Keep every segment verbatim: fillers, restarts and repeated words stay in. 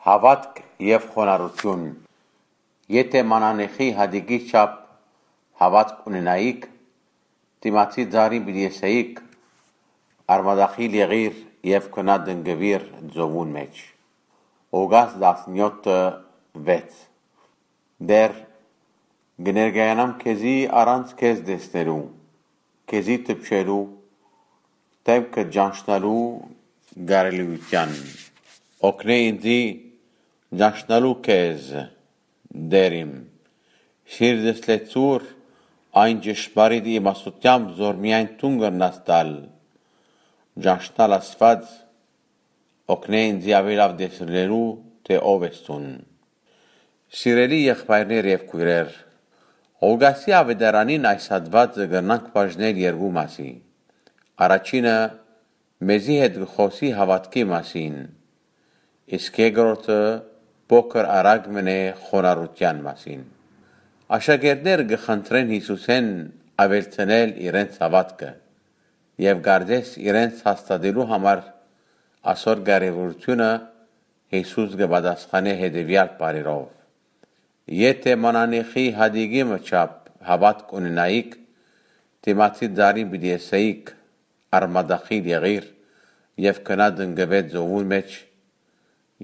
Հաւատք եւ խոնարհութիւն։ Եթէ մանանեխի հատիկի չափ հաւատք ունենայիք, դիմացի ծառին պիտի ըսէիք. «Արմատախիլ եղիր եւ գնա տնկուիր ծովուն մէջ»։ Ղուկաս տասնեթը վեց։ Տէր, կը ներկայանամ քեզի առանց քեզ տեսնելու, քեզի դպչելու, դէմքը ճանչնալու կարելիութեան։ Օգնէ ինծի ճանչնալու քեզ, Տէր իմ։ Սիրտս լեցուր այն ճշմարիտ իմաստութեամբ, զոր միայն դուն կրնաս տալ։ Ճանչնալ Աստուած, օգնէ ինծի աւելի լաւ տեսնելու, թէ ով ես դուն։ Սիրելի եղբայրներ եւ քոյրեր, Ղուկասի աւետարանին այս հատուածը կրնանք բաժնել երկու մասի։ Առաջինը մեզի հետ կը խօսի հաւատքի մասին, իսկ երկրորդը փոքր առակ մըն է խոնարհութեան մասին։ Աշակերտները կը խնդրեն Յիսուսէն աւելցնել իրենց հաւատքը եւ կարծես իրենց հաստատելու համար ասոր կարեւորութիւնը Յիսուս կը պատասխանէ հետեւեալ բառերով. «Եթէ մանանեխի հատիկի մը չափ հաւատք ունենայիք, դիմացի ծառին պիտի ըսէիք. "Արմատախիլ եղիր եւ գնա տնկուէ ծովուն մէջ",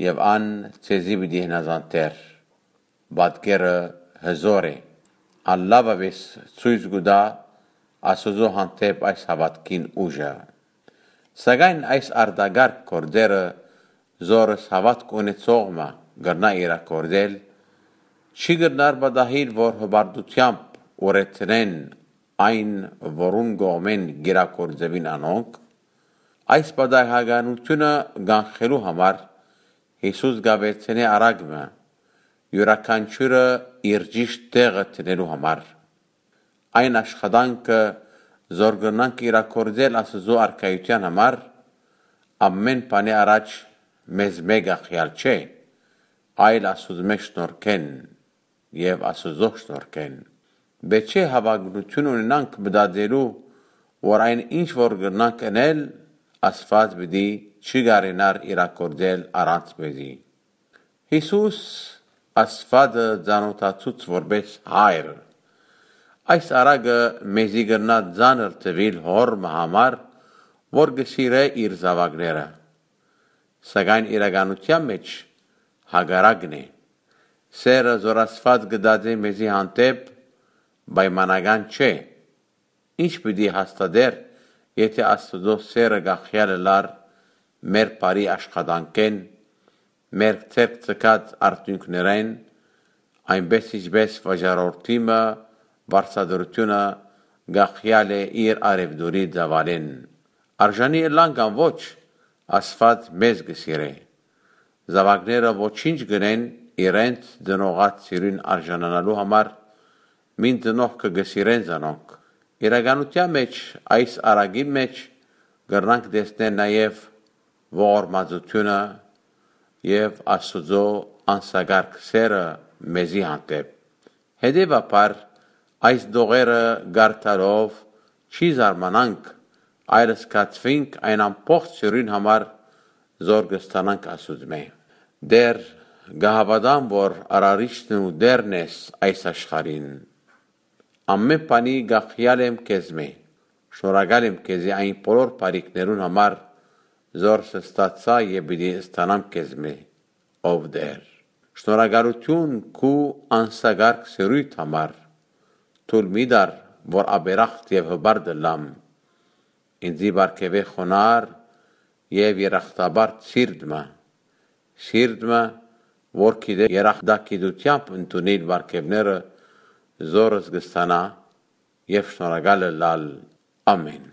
եւ ան ձեզի պիտի հնազանդէր»։ Պատկերը հզոր է։ Ան լաւապէս ցոյց կու տայ Աստուծոյ հանդէպ այս հաւատքին ուժը։ Սակայն այս արտակարգ գործերը, զորս հաւատք ունեցող մը կրնայ իրագործել, չի կրնար պատահիլ, որ հպարտութեամբ ուրեցնեն այն, որուն կողմէն կ'իրագործուին անոնք։ Այս պատահականութիւնը կանխելու համար Յիսուս կ'աւելցնէ առակ մը, իւրաքանչիւրը իր ճիշդ տեղը դնելու համար։ Այն աշխատանքը, զոր կրնանք իրագործել Աստուծոյ արքայութեան համար, ամէն բանի առաջ մեզմէ կախեալ չէ, այլ Աստուծմէ շնորհքէն եւ Աստուծոյ շնորհքէն։ Պէտք չէ հաւակնութիւն ունենանք մտածելու, որ այն ինչ որ կրնանք ընել, Աստուած պիտի չի կարենար իրագործել առանց մեզի։ Յիսուս Աստուածը ծանօթացուց որպէս հայր։ Այս առակը մեզի կրնայ ծանր թուիլ հօր մը համար, որ կը սիրէ իր զաւակները։ Սակայն իրականութեան մէջ հակառակն է։ Սէրը, զոր Աստուած կը տածէ մեզի հանդէպ, պայմանական չէ։ Ի՞նչ պիտի հաստատէր, եթէ Աստուծոյ սէրը կախեալ ըլլար մեր բարի աշխատանքէն, մեր ձեռք ձգած արդիւնքներէն, այնպէս ինչպէս վաճառորդի մը վարձատրութիւնը կախեալ է իր արեւտուրի ծաւալէն։ Արժանի ըլլանք ան ոչ, Աստուած մեզ կը սիրէ։ Զաւակները ոչինչ կ'ընեն իրենց ծնողաց սիրոյն արժանանալու համար, մին ծնողքը կը սիրեն զանոնք։ Իրականութեան մէջ այս առակին մէջ կրնանք տեսնել նաեւ ողորմածութիւնը եւ Աստուծոյ անսակարկ սէրը մեզի հանդէպ։ Հետեւաբար, այս տողերը կարդալով չի զարմանանք, այլ զգացուինք այն ամբողջ սիրոյն համար, զոր կը ստանանք Աստուծմէ։ Տէր, կը հաւատամ, որ արարիչն ու Տէրն ես այս աշխարհին։ Ամէն բանի կախեալ եմ քեզմէ։ Շնորհակալ եմ քեզի այն բոլոր բարիքներուն համար, զոր ստացայ եւ պիտի ստանամ քեզմէ, ով Տէր։ Շնորհակալութիւն քու անսակարկ սիրոյդ համար։ Թույլ մի տար, որ ապերախտ եւ հպարտ ըլլամ։ Ինծի պարգեւէ խոնարհ եւ երախտապարտ սիրտ մը, սիրտ մը, որ գիտէ երախտագիտութեամբ ընդունիլ պարգեւները, զորս կը ստանայ, եւ շնորհակալ ըլլալ։ Ամէն։